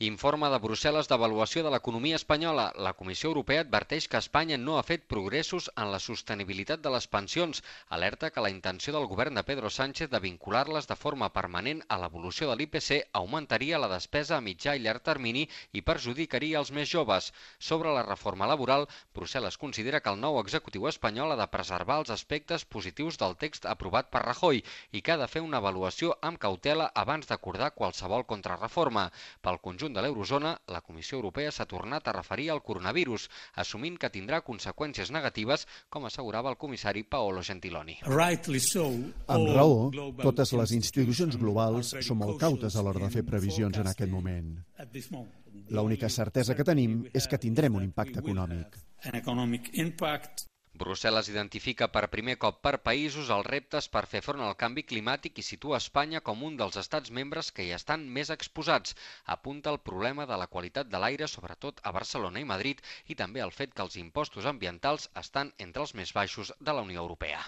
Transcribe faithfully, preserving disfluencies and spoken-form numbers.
Informe de Brussel·les d'avaluació de l'economia espanyola. La Comissió Europea adverteix que Espanya no ha fet progressos en la sostenibilitat de les pensions. Alerta que la intenció del govern de Pedro Sánchez de vincular-les de forma permanent a l'evolució de l'I P C augmentaria la despesa a mitjà i llarg termini i perjudicaria els més joves. Sobre la reforma laboral, Brussel·les considera que el nou executiu espanyol ha de preservar els aspectes positius del text aprovat per Rajoy i que ha de fer una avaluació amb cautela abans d'acordar qualsevol contrarreforma. Pel conjunt de l'eurozona, la Comissió Europea s'ha tornat a referir al coronavirus, assumint que tindrà conseqüències negatives, com assegurava el comissari Paolo Gentiloni. Amb raó, totes les institucions globals som molt cautes a l'hora de fer previsions en aquest moment. L'única certesa que tenim és que tindrem un impacte econòmic. Brussel·les identifica per primer cop per països els reptes per fer front al canvi climàtic i situa Espanya com un dels estats membres que hi estan més exposats. Apunta el problema de la qualitat de l'aire, sobretot a Barcelona i Madrid, i també el fet que els impostos ambientals estan entre els més baixos de la Unió Europea.